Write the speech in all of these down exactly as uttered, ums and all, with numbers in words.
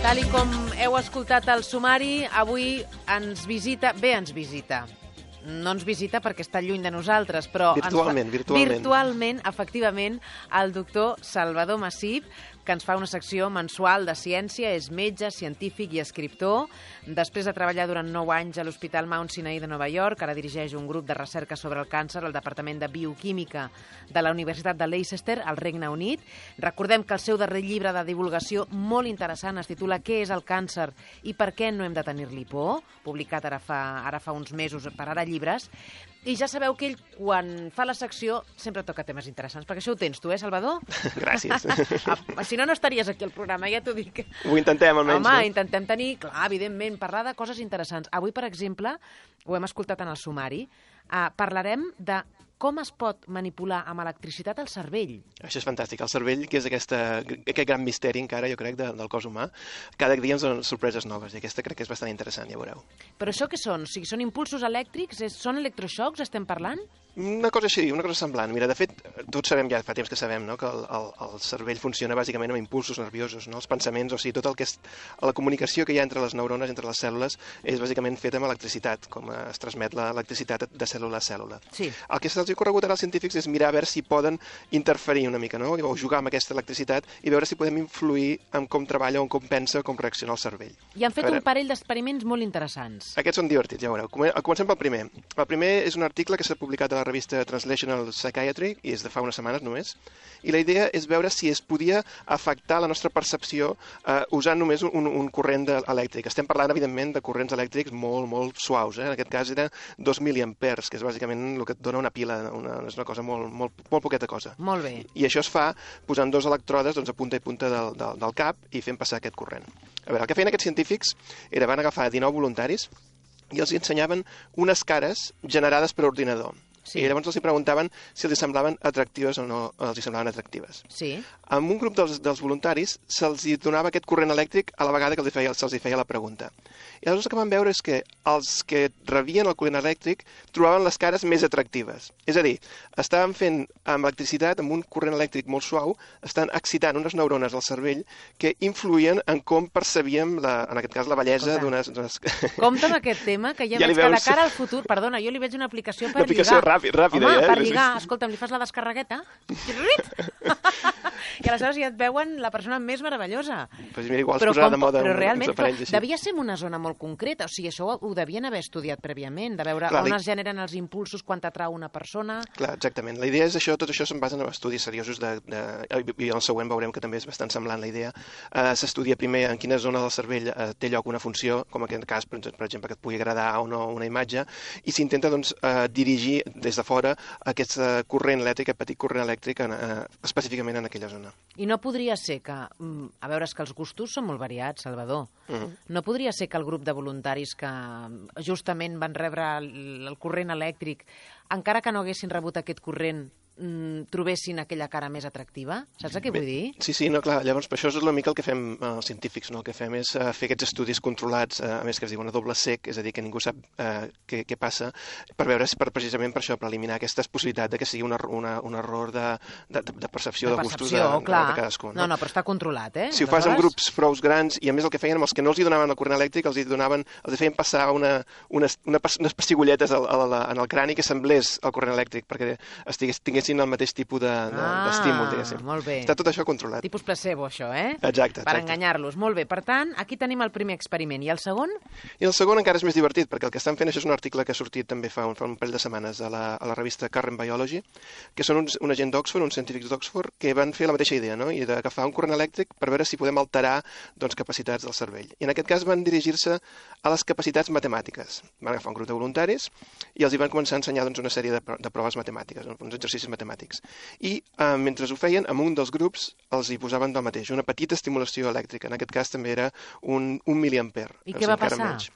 Tal i com heu escoltat el sumari, avui ens visita, bé ens visita, no ens visita perquè està lluny de nosaltres, però virtualment, ens fa, virtualment. virtualment, efectivament, el doctor Salvador Massip, que ens fa una secció mensual de ciència, és metge, científic i escriptor. Després de treballar durant nou anys a l'Hospital Mount Sinai de Nova York, ara dirigeix un grup de recerca sobre el càncer al Departament de Bioquímica de la Universitat de Leicester, al Regne Unit. Recordem que el seu darrer llibre de divulgació molt interessant es titula Què és el càncer i per què no hem de tenir-li por?, publicat ara fa, ara fa uns mesos per Ara Llibres. I ja sabeu que ell, quan fa la secció, sempre toca temes interessants, perquè això ho tens tu, eh, Salvador? Gràcies. Si no, no estaries aquí al programa, ja t'ho dic. Ho intentem, almenys. Home, no? intentem tenir, clar, evidentment, parlar de coses interessants. Avui, per exemple, ho hem escoltat en el sumari, uh, parlarem de com es pot manipular amb electricitat el cervell. Això és fantàstic. El cervell, que és aquesta, aquest gran misteri encara, jo crec, de, del cos humà, cada dia ens donen sorpreses noves, i aquesta crec que és bastant interessant, ja veureu. Però això què són? O sigui, són impulsos elèctrics? És, són electroxocs, estem parlant? Una cosa així, una cosa semblant. Mira, de fet, tots sabem, ja fa temps que sabem, no?, que el, el, el cervell funciona bàsicament amb impulsos nerviosos, no?, els pensaments, o sigui, tot el que és la comunicació que hi ha entre les neurones, entre les cèl·lules, és bàsicament feta amb electricitat, com es transmet l'electricitat de cèl·lula a cèl·lula. Sí. El que se'ls ha ocorregut ara als científics és mirar a veure si poden interferir una mica, no?, o jugar amb aquesta electricitat i veure si podem influir en com treballa, o en com pensa, o com reacciona el cervell. I han fet veure, un parell d'experiments molt interessants. Aquests són divertits, ja veureu. Comencem pel primer. El primer és un article que s'ha publicat a la revista Translational Psychiatry, i és de fa unes setmanes només, i la idea és veure si es podia afectar la nostra percepció eh, usant només un, un corrent elèctric. Estem parlant, evidentment, de corrents elèctrics molt, molt suaus. Eh? En aquest cas era dos miliamperes, que és bàsicament el que et dona una pila, una, és una cosa molt, molt, molt poqueta cosa. Molt bé. I això es fa posant dos electrodes doncs, a punta i punta del, del, del cap i fent passar aquest corrent. A veure, el que feien aquests científics era van agafar dinou voluntaris i els ensenyaven unes cares generades per ordinador. Sí. I llavors els preguntaven si els semblaven atractives o no els semblaven atractives. Sí. Amb un grup dels, dels voluntaris se'ls donava aquest corrent elèctric a la vegada que se'ls feia la pregunta. I llavors el que van veure és que els que rebien el corrent elèctric trobaven les cares més atractives. És a dir, estaven fent amb electricitat, amb un corrent elèctric molt suau, estan excitant unes neurones al cervell que influïen en com percebíem, la, en aquest cas, la bellesa d'unes... Compte amb aquest tema, que ja, ja veig veus... que de cara al futur... Perdona, jo li veig una aplicació per una aplicació lligar. Ràpid, ràpida, Home, eh? per lligar, escolta'm, li fas la descarregueta i aleshores ja et veuen la persona més meravellosa. Pues mira, igual es posarà de moda però realment però devia ser en una zona molt concreta, o sigui, això ho, ho devien haver estudiat prèviament, de veure Clar, on li... es generen els impulsos quan t'atrau una persona. Clar, exactament. La idea és això, tot això se'n basa en estudis seriosos de, de, i en el següent veurem que també és bastant semblant la idea. Uh, S'estudia primer en quina zona del cervell uh, té lloc una funció, com en aquest cas, per exemple, que et pugui agradar o no una imatge, i s'intenta doncs, uh, dirigir des de fora aquest uh, corrent elèctric, aquest petit corrent elèctric en, uh, específicament en aquella zona. I no podria ser que, a veure, és que els gustos són molt variats, Salvador, uh -huh. no podria ser que el grup de voluntaris que justament van rebre el, el corrent elèctric, encara que no haguessin rebut aquest corrent, trobessin aquella cara més atractiva? Saps què vull dir? Sí, sí, no, clar, llavors per això és una mica el que fem eh, els científics, no? El que fem és eh, fer aquests estudis controlats, eh, a més que es diuen a doble cec, és a dir, que ningú sap eh, què, què passa, per veure si per, precisament per això, per eliminar aquesta possibilitat de que sigui una, una, un error de, de, de percepció de, de gustos de, de, de cadascú. No? no, no, però està controlat, eh? Si ho fas amb grups prou grans, i a més el que feien amb els que no els hi donaven el corrent elèctric, els hi donaven, els hi feien passar una, unes, una, unes pessigolletes al, al, al, en el crani que semblés el corrent elèctric, perquè estigués, tinguessin el mateix tipus de d'estímul, ah, diguéssim. Molt bé. Està tot això controlat. Tipus placebo, això, eh? Exacte, exacte. Per enganyar-los. Molt bé. Per tant, aquí tenim el primer experiment. I el segon? I el segon encara és més divertit, perquè el que estan fent, això és un article que ha sortit també fa un, fa un parell de setmanes a la, a la revista Current Biology, que són uns, una gent d'Oxford, uns científics d'Oxford, que van fer la mateixa idea, no? I d'agafar un corrent elèctric per veure si podem alterar doncs, capacitats del cervell. I en aquest cas van dirigir-se a les capacitats matemàtiques. Van agafar un grup de voluntaris i els hi van començar a ensenyar doncs, una sèrie de, de proves matemàtiques, uns exercicis matemàtics. I eh, mentre ho feien, en un dels grups els hi posaven del mateix, una petita estimulació elèctrica. En aquest cas també era un, un miliamper. I què va passar? Menys.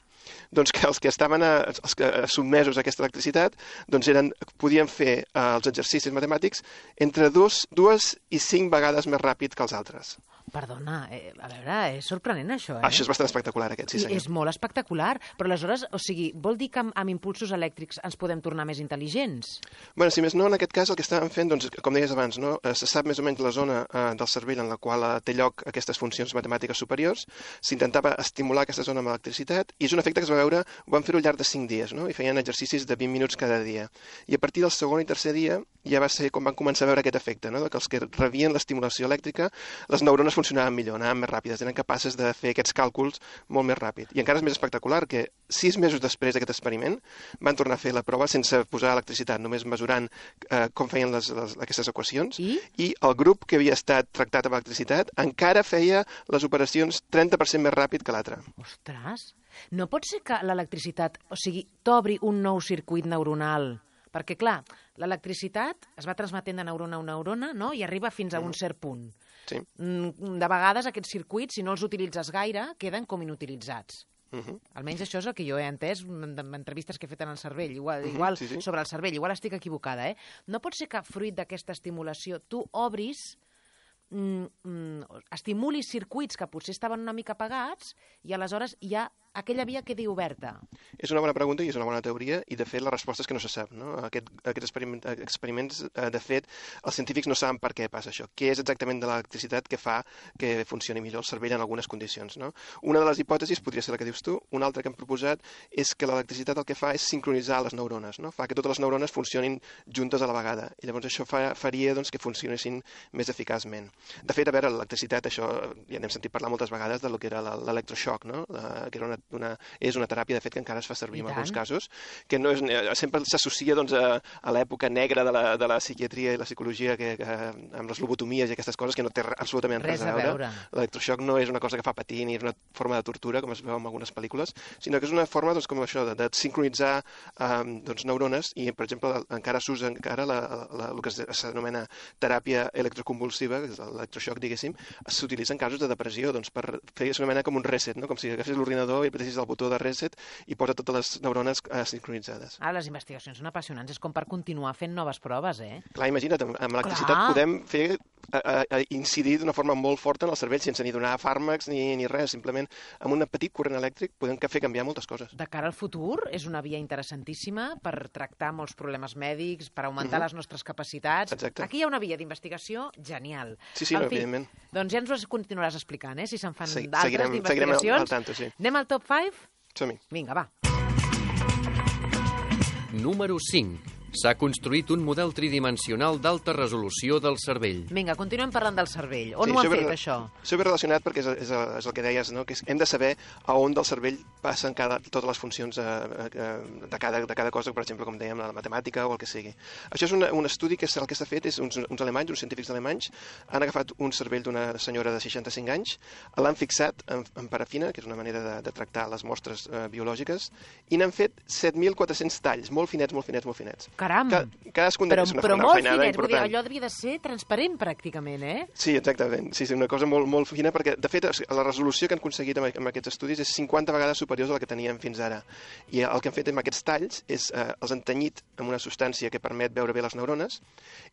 Doncs que els que estaven a, els que, sotmesos a aquesta electricitat doncs eren, podien fer eh, els exercicis matemàtics entre dos, dues i cinc vegades més ràpid que els altres. Perdona, eh, a veure, és sorprenent això, eh? Això és bastant espectacular, aquest, sí senyor. És molt espectacular, però aleshores, o sigui, vol dir que amb, amb impulsos elèctrics ens podem tornar més intel·ligents? Bueno, si més no, en aquest cas el que estàvem fent, doncs, com deies abans, no? se sap més o menys la zona eh, del cervell en la qual eh, té lloc aquestes funcions matemàtiques superiors, s'intentava estimular aquesta zona amb electricitat, i és un efecte que es va veure, ho van fer-ho al llarg de cinc dies, no? I feien exercicis de vint minuts cada dia. I a partir del segon i tercer dia ja va ser com van començar a veure aquest efecte, no? Que els que rebien l'estimulació elèctrica, les neurones funcionaven millor, anaven més ràpides, eren capaces de fer aquests càlculs molt més ràpid. I encara és més espectacular que sis mesos després d'aquest experiment van tornar a fer la prova sense posar electricitat, només mesurant eh, com feien les, les, aquestes equacions, I? i el grup que havia estat tractat amb electricitat encara feia les operacions trenta per cent més ràpid que l'altre. Ostres, no pot ser que l'electricitat, o sigui, t'obri un nou circuit neuronal? Perquè, clar, l'electricitat es va transmetent de neurona a neurona, no?, i arriba fins a un cert punt. Sí. De vegades aquests circuits, si no els utilitzes gaire, queden com inutilitzats. Uh -huh. Almenys això és el que jo he entès en entrevistes que he fet en el cervell, igual, Uh -huh, igual sí, sí. sobre el cervell, igual estic equivocada, eh? No pot ser que fruit d'aquesta estimulació tu obris, mm, mm, estimulis circuits que potser estaven una mica apagats i aleshores ja aquella via quedi oberta? És una bona pregunta i és una bona teoria, i de fet la resposta és que no se sap, no? Aquest, aquests experiment, experiments, eh, de fet, els científics no saben per què passa això, què és exactament de l'electricitat que fa que funcioni millor el cervell en algunes condicions, no? Una de les hipòtesis podria ser la que dius tu, una altra que hem proposat és que l'electricitat el que fa és sincronitzar les neurones, no? Fa que totes les neurones funcionin juntes a la vegada, i llavors això fa, faria doncs, que funcionessin més eficaçment. De fet, a veure, l'electricitat, això ja n'hem sentit parlar moltes vegades de lo que era l'electroshock, no? La, que era una Una, és una teràpia, de fet, que encara es fa servir en alguns casos, que no és, sempre s'associa doncs, a, a l'època negra de la, de la psiquiatria i la psicologia, que, que, amb les lobotomies i aquestes coses, que no té absolutament res, res a veure. veure. L'electroshock no és una cosa que fa patir ni és una forma de tortura, com es veu en algunes pel·lícules, sinó que és una forma, doncs, com això, de, de sincronitzar um, doncs, neurones, i, per exemple, encara s'usa encara la, la, el que s'anomena teràpia electroconvulsiva, que és l'electroshock, diguéssim, s'utilitza en casos de depressió, doncs, per fer una mena com un reset, no? Com si agafés l'ordinador i apretés el botó de reset i posa totes les neurones eh, sincronitzades. Ah, les investigacions són apassionants, és com per continuar fent noves proves, eh? Clar, imagina't, amb, amb l'electricitat podem fer, a, a, a incidir d'una forma molt forta en el cervell sense ni donar fàrmacs ni, ni res, simplement amb un petit corrent elèctric podem fer canviar moltes coses. De cara al futur, és una via interessantíssima per tractar molts problemes mèdics, per augmentar uh -huh. les nostres capacitats. Exacte. Aquí hi ha una via d'investigació genial. Sí, sí, no, evidentment. Doncs ja ens ho continuaràs explicant, eh? Si se'n fan Sí, d'altres d'investigacions. Seguirem al tanto, sí. Anem al top cinc? Som-hi. Vinga, va. Número cinc. S'ha construït un model tridimensional d'alta resolució del cervell. Vinga, continuem parlant del cervell. On Sí, ho han això ve fet, re- això? Això ve relacionat perquè és, és, és el que deies, no? Que és, hem de saber a on del cervell passen cada, totes les funcions eh, eh, de, cada, de cada cosa, per exemple, com dèiem, la matemàtica o el que sigui. Això és una, un estudi que és, el que s'ha fet és uns, uns alemanys, uns científics alemanys, han agafat un cervell d'una senyora de seixanta-cinc anys, l'han fixat en, en parafina, que és una manera de, de tractar les mostres eh, biològiques, i n'han fet set mil quatre-cents talls, molt finets, molt finets, molt finets. Caram! Ca, cadascun Però, d'aquests és una, però una molt feinada finet, vull dir, important. allò devia de ser transparent pràcticament, eh? Sí, exactament. Sí, sí, una cosa molt, molt fina, perquè, de fet, la resolució que han aconseguit amb, amb aquests estudis és cinquanta vegades superior a la que teníem fins ara. I el que han fet amb aquests talls és eh, els han tenyit amb una substància que permet veure bé les neurones,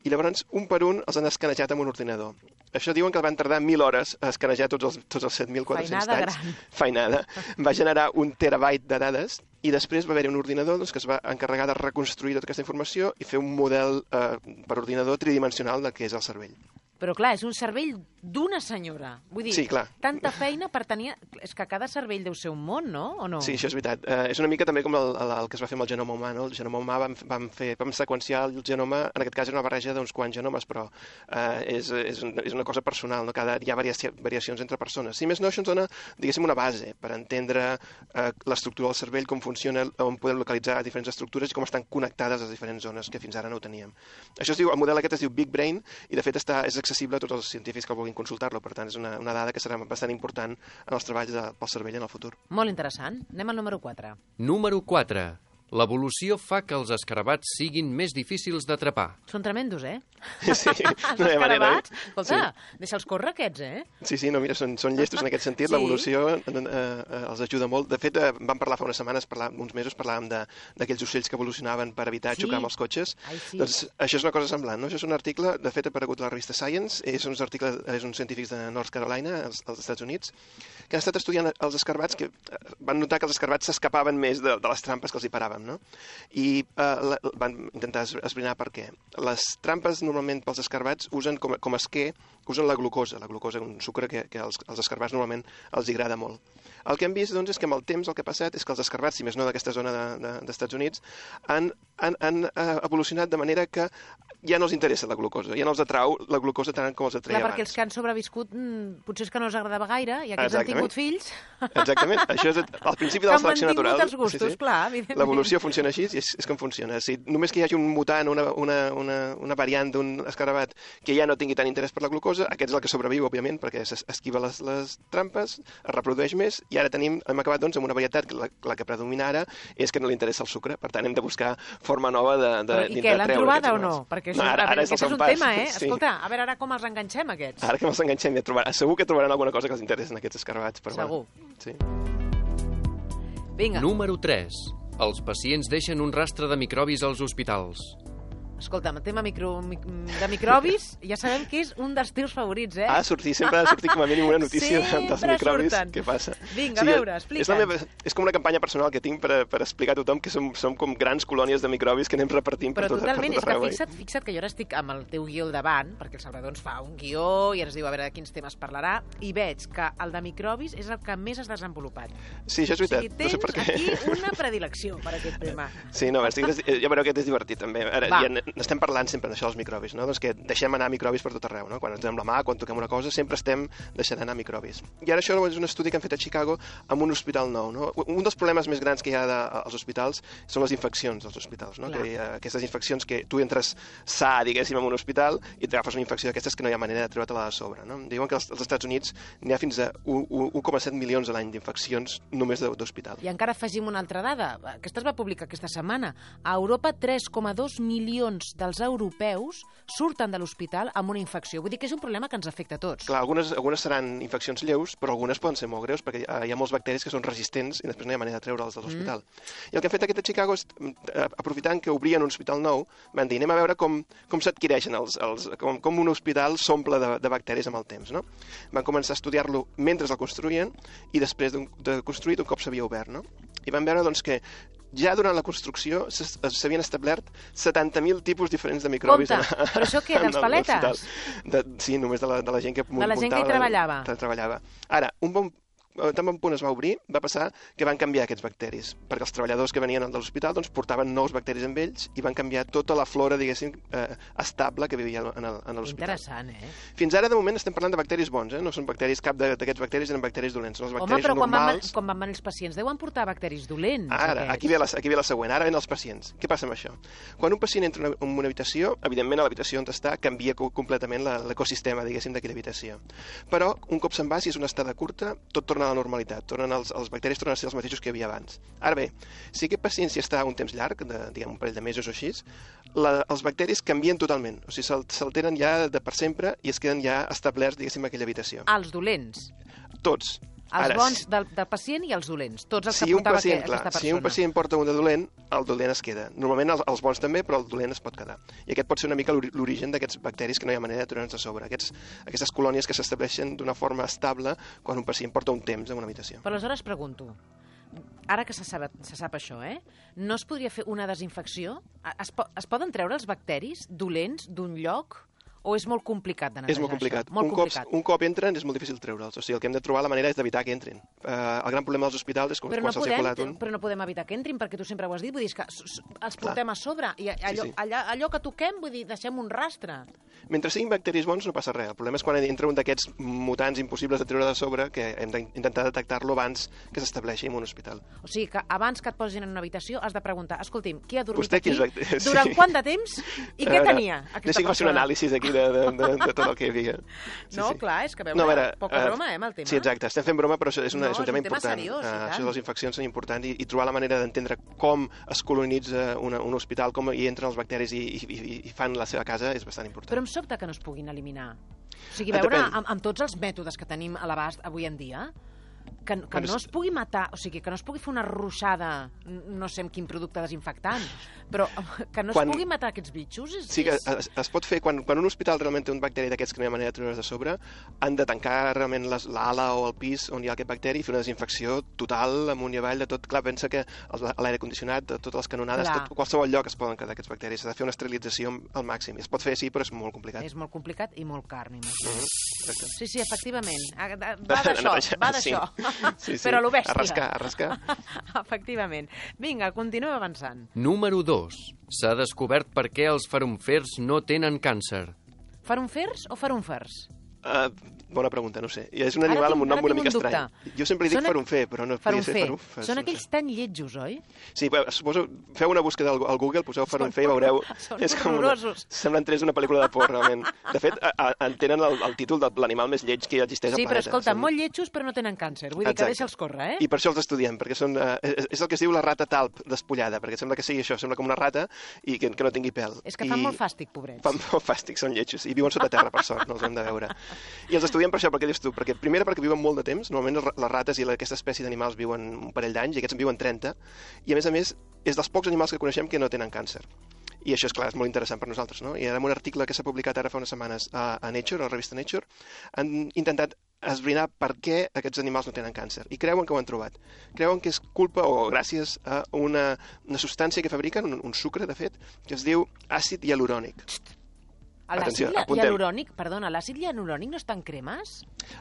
i llavors, un per un, els han escanejat amb un ordinador. Això diuen que van tardar mil hores a escanejar tots els, tots els set mil quatre-cents Feinada talls. gran. Feinada. Va generar un terabyte de dades, i després va haver-hi un ordinador doncs, que es va encarregar de reconstruir tota aquesta informació i fer un model eh, per ordinador tridimensional del que és el cervell. Però clar, és un cervell d'una senyora. Vull dir, Sí, clar. tanta feina per tenir... És que cada cervell deu ser un món, no? O no? Sí, això és veritat. Eh, és una mica també com el, el, el que es va fer amb el genoma humà, no? El genoma humà vam, vam, fer, vam seqüenciar el genoma, en aquest cas era una barreja d'uns quants genomes, però eh, és, és, és una cosa personal, no? Cada, hi ha variaci variacions entre persones. Si més no, això ens dona, diguéssim, una base per entendre eh, l'estructura del cervell, com funciona, on podem localitzar diferents estructures i com estan connectades les diferents zones, que fins ara no ho teníem. Això es diu, el model aquest es diu Big Brain, i de fet està, és accessible a tots els científics que vulguin consultar-lo, per tant és una, una dada que serà bastant important en els treballs de, pel cervell en el futur. Molt interessant. Anem al número quatre. Número quatre. L'evolució fa que els escarabats siguin més difícils d'atrapar. Són tremendos, eh? Sí, no hi ha manera. Escolta, sí. Deixa'ls córrer aquests, eh? Sí, sí, no, mira, són, són llestos en aquest sentit. Sí. L'evolució eh, eh, els ajuda molt. De fet, eh, vam parlar fa unes setmanes, parlar, uns mesos, parlàvem d'aquells ocells que evolucionaven per evitar sí. xocar amb els cotxes. Ai, sí. Doncs això és una cosa semblant, no? Això és un article, de fet, ha aparegut a la revista Science, és uns articles, és uns científics de North Carolina, als, als Estats Units, que han estat estudiant els escarabats, que van notar que els escarabats s'escapaven més de, de les trampes que els hi paraven, no? I eh, la, van intentar esbrinar per què. Les trampes normalment pels escarabats usen com, com a esquer, usen la glucosa, la glucosa, un sucre que, que als, als escarabats normalment els agrada molt. El que hem vist doncs, és que amb el temps el que ha passat és que els escarabats, si més no d'aquesta zona d'Estats de, de, Units, han, han, han evolucionat de manera que ja no els interessa la glucosa, ja no els atrau la glucosa tant com els atreia Clar, abans. perquè els que han sobreviscut potser és que no els agradava gaire i aquests han tingut fills. Exactament, això és el principi de la selecció natural. Que han mantingut els gustos, sí, sí. Clar, evidentment. L'evolució funciona així i és, és com funciona. Si només que hi hagi un mutant, una, una, una, una variant d'un escarabat que ja no tingui tant interès per la glucosa, aquest és el que sobreviu, òbviament, perquè esquiva les, les trampes, es reprodueix més i ara tenim, hem acabat doncs, amb una varietat que la, la que predomina ara és que no li interessa el sucre, per tant hem de buscar forma nova de, de, Però, I què, l'han trobada o no? Perquè això, no, ara, ara és, és un pas. tema, eh? Sí. Escolta, a veure ara com els enganxem, aquests. Ara que els enganxem ja trobaran, segur que trobaran alguna cosa que els interessi en aquests escarabats. Però segur. Bueno, sí. Vinga. Número tres. Els pacients deixen un rastre de microbis als hospitals. Escolta, el tema micro, de microbis ja sabem que és un dels teus favorits, eh? Ah, sortir, sempre ha de sortir com a mínim una notícia dels microbis. Surten. Què passa? Vinga, sí, a veure, explica'ns. És, la meva, és com una campanya personal que tinc per, per explicar a tothom que som, som com grans colònies de microbis que anem repartint Però per tot, totalment, per tot arreu. És que fixa't, fixa't que jo ara estic amb el teu guió al davant, perquè el Salvador ens fa un guió i ens diu a veure de quins temes parlarà, i veig que el de microbis és el que més has desenvolupat. Sí, això és veritat. O sigui, tens no sé per què. aquí una predilecció per aquest tema. Sí, no, estic, ja veureu que és divertit, també. Ara, ja n'estem parlant sempre d'això dels microbis, no? Doncs que deixem anar microbis per tot arreu, no? Quan ens donem la mà, quan toquem una cosa, sempre estem deixant anar microbis. I ara això és un estudi que han fet a Chicago amb un hospital nou, no? Un dels problemes més grans que hi ha de, als hospitals són les infeccions dels hospitals, no? Que hi ha aquestes infeccions que tu entres sa, diguéssim, en un hospital i t'agafes una infecció d'aquestes que no hi ha manera de treure-te-la de sobre, no? Diuen que als, als Estats Units n'hi ha fins a un coma set milions a l'any d'infeccions només d'hospital. I encara afegim una altra dada, aquesta es va publicar aquesta setmana. A Europa, tres coma dos milions dels europeus surten de l'hospital amb una infecció. Vull dir que és un problema que ens afecta a tots. Clar, algunes, algunes seran infeccions lleus, però algunes poden ser molt greus, perquè hi ha molts bacteris que són resistents i després no hi ha manera de treure'ls de l'hospital. Mm. I el que han fet aquest a Chicago és, aprofitant que obrien un hospital nou, van dir, anem a veure com, com s'adquireixen els, els, com, com un hospital s'omple de, de bacteris amb el temps, no? Van començar a estudiar-lo mentre el construïen i després de, de construït un cop s'havia obert, no? I van veure doncs, que ja durant la construcció s'havien establert setanta mil tipus diferents de microbis. Compte, però això què, dels paletes? De, sí, només de la, de la gent que muntava. De la gent que hi treballava. De, treballava. Ara, un bon tan bon punt es va obrir, va passar que van canviar aquests bacteris, perquè els treballadors que venien de l'hospital doncs, portaven nous bacteris amb ells i van canviar tota la flora, diguéssim, eh, estable que vivia en l'hospital. Interessant, eh? Fins ara, de moment, estem parlant de bacteris bons, eh? No són bacteris, cap d'aquests bacteris eren bacteris dolents, són els Home, bacteris però quan normals. Van, quan van venir els pacients deuen portar bacteris dolents. Ara, aquí ve, la, aquí ve la següent, ara ven els pacients. Què passa amb això? Quan un pacient entra en una habitació, evidentment a l'habitació on està canvia completament l'ecosistema, diguéssim, d'aquella habitació. Però, un cop se'n va, si és una estada curta, tot torna a la normalitat, torna Els, els bacteris tornen a ser els mateixos que hi havia abans. Ara bé, si aquest pacient s'hi està un temps llarg, de, diguem, un parell de mesos o així, la, els bacteris canvien totalment. O sigui, s'alteren ja de per sempre i es queden ja establerts, diguéssim, a aquella habitació. Els dolents? Tots. Els Ara, bons del, del pacient i els dolents. Tots els si que portava pacient, que, clar, aquesta persona. Si un pacient porta un de dolent, el dolent es queda. Normalment els, els bons també, però el dolent es pot quedar. I aquest pot ser una mica l'origen d'aquests bacteris que no hi ha manera de treure'ns de sobre. Aquests, aquestes colònies que s'estableixen d'una forma estable quan un pacient porta un temps en una habitació. Però aleshores pregunto, ara que se sap, se sap això, eh? No es podria fer una desinfecció? Es, po es poden treure els bacteris dolents d'un lloc? O és molt complicat de netejar És molt complicat. Això? Molt un, complicat. Cop, un cop entren és molt difícil treure'ls. O sigui, el que hem de trobar la manera és d'evitar que entrin. Uh, el gran problema dels hospitals és com però quan no se'ls ha colat un... Però no podem evitar que entrin, perquè tu sempre ho has dit, vull dir, que els portem Clar. a sobre, i allò, sí, sí. Allà, allò que toquem, vull dir, deixem un rastre. Mentre siguin bacteris bons no passa res. El problema és quan entra un d'aquests mutants impossibles de treure de sobre, que hem d'intentar detectar-lo abans que s'estableixi en un hospital. O sigui, que abans que et posin en una habitació has de preguntar, escolti'm, qui ha dormit Vostè aquí, quins... durant sí. quant de temps, i què tenia aquesta Deixi que faci un persona? anàlisi aquí de, de, de, de tot el que hi havia. Sí, no, sí. clar, és que veure, no, veure, poca uh, broma, eh, amb el tema. Sí, exacte, estem fent broma, però és, una, no, és un tema és un tema important. seriós, uh, i això de les infeccions són importants i, i trobar la manera d'entendre com es colonitza una, un hospital, com hi entren els bacteris i, i, i, i fan la seva casa és bastant important. Però em sobta que no es puguin eliminar. O sigui, veure, Depèn. amb, amb tots els mètodes que tenim a l'abast avui en dia, que, que Bueno, no es pugui matar, o sigui, que no es pugui fer una ruixada, no sé amb quin producte desinfectant, però que no Quan- es pugui matar aquests bitxos és... Sí que és... es, es pot fer, quan, quan un hospital realment té un bacteri d'aquests que no hi ha manera de treure's de sobre, han de tancar realment les- l'ala o el pis on hi ha aquest bacteri i fer una desinfecció total amunt i avall de tot. Clar, pensa que els- l'aire condicionat, de totes les canonades, Clar. tot, qualsevol lloc es poden quedar aquests bacteris. S'ha de fer una esterilització al màxim. Es pot fer, sí, però és molt complicat. És molt complicat i molt car, m'imagino. Mhm, exacte. Sí, sí, efectivament. Ah, Va Va d'això, d'això, va sí. d'això. Sí, sí. Però a lo bèstia. A rascar, a rascar. Efectivament. Vinga, continuem avançant. Número dos. S'ha descobert per què els farunfers no tenen càncer. Farunfers o farunfers? Uh, bona pregunta, no ho sé. I és un Ara animal tinc- amb un nom ara una tinc mica un dubte. estrany. Jo sempre li dic Són aqu- farunfer, però no podia ser Farunfer. farunfer. Són no aquells sé. tan lletjos, oi? Sí, bé, suposo, feu una búsqueda al, al Google, poseu farunfer i veureu... són és com una, horrorosos. semblen tres d'una pel·lícula de por, realment. De fet, a, a, en tenen el, el títol de l'animal més lleig que ja existeix Sí, al però planeta. escolta, Són- molt lletjos però no tenen càncer. Vull dir que Exacte. deixa'ls córrer, eh? I per això els estudiem, perquè són, uh, és, és el que es diu la rata talp despullada, perquè sembla que sigui això, sembla com una rata i que, que no tingui pèl. És que I fan molt fàstic, pobrets. Fan molt fàstic, són lletjos. I viuen sota terra, per sort, no els hem de veure. I els estudiem per això, perquè dius tu, perquè primera perquè viuen molt de temps, normalment les rates i la- aquesta espècie d'animals viuen un parell d'anys i aquests en viuen trenta, i a més a més és dels pocs animals que coneixem que no tenen càncer. I això, és clar, és molt interessant per nosaltres, no? I ara en un article que s'ha publicat ara fa unes setmanes a, a Nature, a la revista Nature, han intentat esbrinar per què aquests animals no tenen càncer. I creuen que ho han trobat. Creuen que és culpa o gràcies a una, una substància que fabriquen, un, un sucre, de fet, que es diu àcid hialurònic. L'àcid Atenció, apuntem. hialurònic, perdona, l'àcid hialurònic no està en cremes?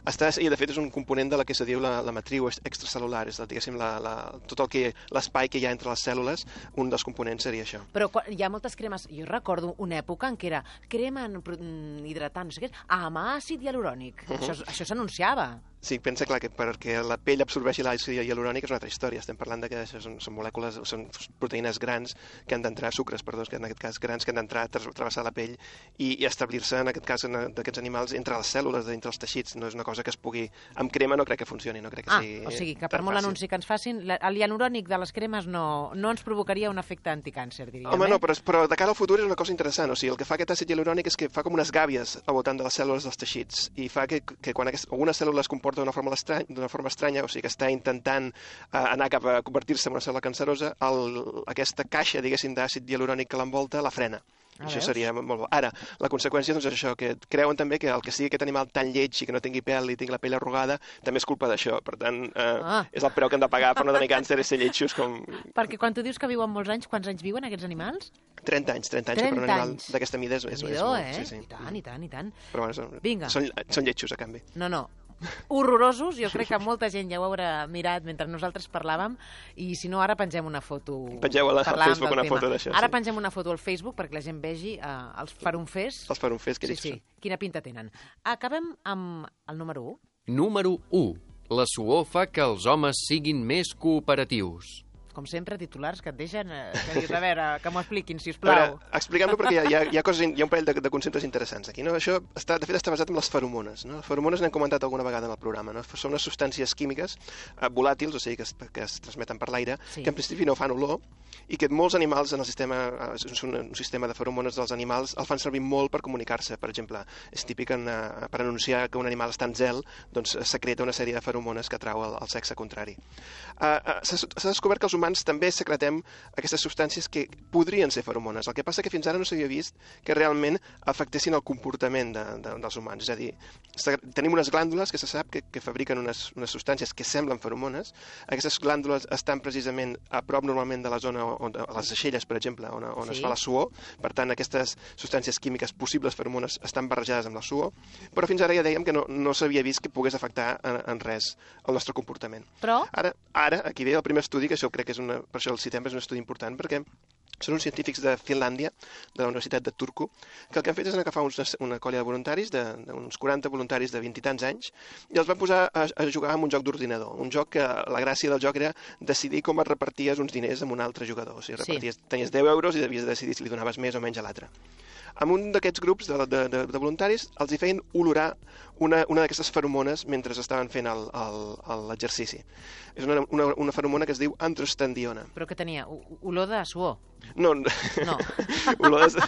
Està, i de fet és un component de la que se diu la, la matriu extracel·lular, és la, diguéssim, la, la, tot el que l'espai que hi ha entre les cèl·lules, un dels components seria això. Però quan, hi ha moltes cremes... Jo recordo una època en què era crema en pro- mm, hidratant, no sé què, amb àcid hialurònic. Uh -huh. Això, això s'anunciava. Sí, pensa, clar, que perquè la pell absorbeixi l'àcid hialurònic és una altra història. Estem parlant de que això són, són molècules, són proteïnes grans que han d'entrar, sucres, perdó, que en aquest cas grans, que han d'entrar, tra- travessar la pell i, i establir-se, en aquest cas, en- d'aquests animals, entre les cèl·lules, entre els teixits. No és una cosa que es pugui... Amb crema no crec que funcioni, no crec que Ah, sigui o sigui que per tan molt fàcil. anunci que ens facin, la- el hialurònic de les cremes no, no ens provocaria un efecte anticàncer, diríem. Home, eh? no, però, però de cara al futur és una cosa interessant. O sigui, el que fa aquest àcid hialurònic és que fa com unes gàbies al voltant de les cèl·lules dels teixits i fa que, que quan aquest, alguna cèl·lula es comporta d'una forma, estrany, d'una forma estranya, o sigui, que està intentant uh, anar cap a convertir-se en una cèl·lula cancerosa, el, aquesta caixa, diguéssim, d'àcid hialurònic que l'envolta la frena. Ah, Això veus? seria molt bo. Ara, la conseqüència doncs, és això, que creuen també que el que sigui aquest animal tan lleig i que no tingui pèl i tingui la pell arrugada, també és culpa d'això. Per tant, eh, Ah. és el preu que hem de pagar per no tenir càncer i ser lletjos com Perquè quan tu dius que viuen molts anys, quants anys viuen aquests animals? trenta anys, trenta anys, que per un trenta animal anys. d'aquesta mida és, és, és Déu-n'hi-do, molt. eh? Sí, sí. I tant, i tant, i tant. Però bueno, són, Vinga. són, són lletjos, a canvi. No, no, horrorosos. Jo crec que molta gent ja ho haurà mirat mentre nosaltres parlàvem i si no, ara pengem una foto. Pengeu a la- al Parlàvem Facebook del una tema. foto d'això, Ara sí. pengem una foto al Facebook perquè la gent vegi eh, els farunfers. Els farunfers, que Sí, dius, sí, quina pinta tenen. Acabem amb el número u. Número u. La suor fa que els homes siguin més cooperatius. Com sempre, titulars que et deixen... Eh, que dius, a veure, que m'ho expliquin, si us A veure, plau. expliquem-lo perquè hi ha, hi, ha, hi, ha coses, hi ha un parell de, de conceptes interessants aquí. No? Això, està, de fet, està basat en les feromones. No? Les feromones n'hem comentat alguna vegada en el programa. No? Són unes substàncies químiques eh, volàtils, o sigui, que es, que es transmeten per l'aire, Sí. que en principi no fan olor, i que molts animals en el sistema, eh, és un, un sistema de feromones dels animals, el fan servir molt per comunicar-se. Per exemple, és típic en, eh, per anunciar que un animal està en zel, doncs eh, secreta una sèrie de feromones que atrau el, el sexe contrari. Uh, uh, S'ha s'ha descobert que els humans també secretem aquestes substàncies que podrien ser feromones. El que passa que fins ara no s'havia vist que realment afectessin el comportament de, de, dels humans. És a dir, se- tenim unes glàndules que se sap que, que fabriquen unes, unes substàncies que semblen feromones. Aquestes glàndules estan precisament a prop normalment de la zona on, a les aixelles, per exemple, on, on Sí. es fa la suor. Per tant, aquestes substàncies químiques possibles feromones estan barrejades amb la suor, però fins ara ja dèiem que no, no s'havia vist que pogués afectar en, en res el nostre comportament. Però, Ara, ara, aquí ve el primer estudi, que això crec que és una, per això el citem, és un estudi important, perquè Són uns científics de Finlàndia, de la Universitat de Turku, que el que han fet és agafar uns, una colla de voluntaris, d'uns quaranta voluntaris de vint i tants anys, i els van posar a, a jugar amb un joc d'ordinador. Un joc que la gràcia del joc era decidir com et reparties uns diners amb un altre jugador. O sigui, reparties, sí. Tenies deu euros i devies decidir si li donaves més o menys a l'altre. Amb un d'aquests grups de, de, de, de voluntaris els hi feien olorar una, una d'aquestes feromones mentre estaven fent l'exercici. És una, una, una feromona que es diu androstendiona. Però què tenia? Olor de suor? No. No. Olor de...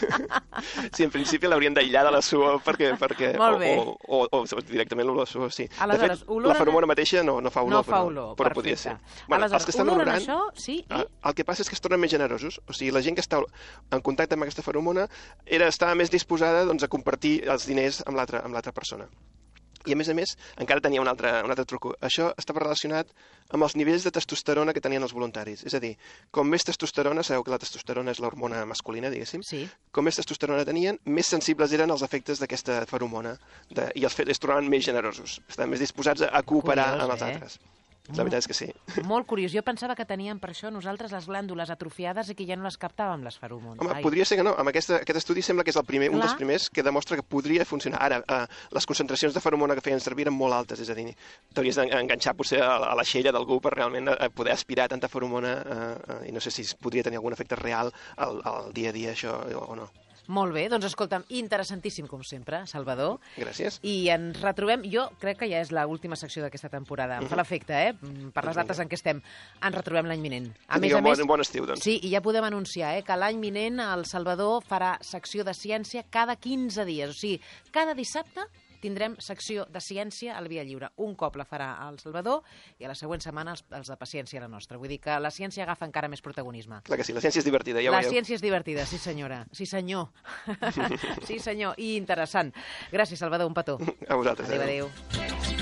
Sí, en principi l'haurien d'aïllar de la suor perquè... perquè Molt bé. O, o, o, o directament l'olor de suor, sí. Aleshores, de fet, olor la feromona mateixa no, no fa olor, no fa olor, però, però podria ser. Bueno, aleshores, els que estan oloren olorant, això, sí, i... El que passa és que es tornen més generosos. O sigui, la gent que està en contacte amb aquesta feromona era, estava més disposada doncs, a compartir els diners amb l'altra persona. I, a més a més, encara tenia un altre, un altre truc. Això estava relacionat amb els nivells de testosterona que tenien els voluntaris. És a dir, com més testosterona, sabeu que la testosterona és l'hormona masculina, diguéssim, sí. Com més testosterona tenien, més sensibles eren als efectes d'aquesta feromona de, i els, es tornaven més generosos. Estaven més disposats a cooperar Curiós, amb els eh? altres. La veritat és que sí. Molt curiós. Jo pensava que teníem per això nosaltres les glàndules atrofiades i que ja no les captàvem, les feromones. Home, Ai. podria ser que no. Amb aquesta, aquest estudi sembla que és el primer, un dels primers que demostra que podria funcionar. Ara, eh, les concentracions de feromona que feien servir eren molt altes, és a dir, t'hauries d'enganxar potser a, a la xella d'algú per realment a poder aspirar tanta feromona eh, eh, i no sé si podria tenir algun efecte real al, al dia a dia això o no. Molt bé, doncs escolta'm, interessantíssim com sempre, Salvador. Gràcies. I ens retrobem, jo crec que ja és l'última secció d'aquesta temporada, em fa l'efecte, eh? Per les dates en què estem. Ens retrobem l'any vinent. A més a més, un bon estiu, doncs. Sí, i ja podem anunciar eh, que l'any vinent el Salvador farà secció de ciència cada quinze dies. O sigui, cada dissabte tindrem secció de ciència al Via Lliure. Un cop la farà el Salvador i a la següent setmana els, els de paciència la nostra. Vull dir que la ciència agafa encara més protagonisme. Clar que sí, la ciència és divertida, ja ho La veieu. ciència és divertida, sí senyora. Sí senyor. Sí senyor, i interessant. Gràcies, Salvador, un petó. A vosaltres. Adéu, adéu.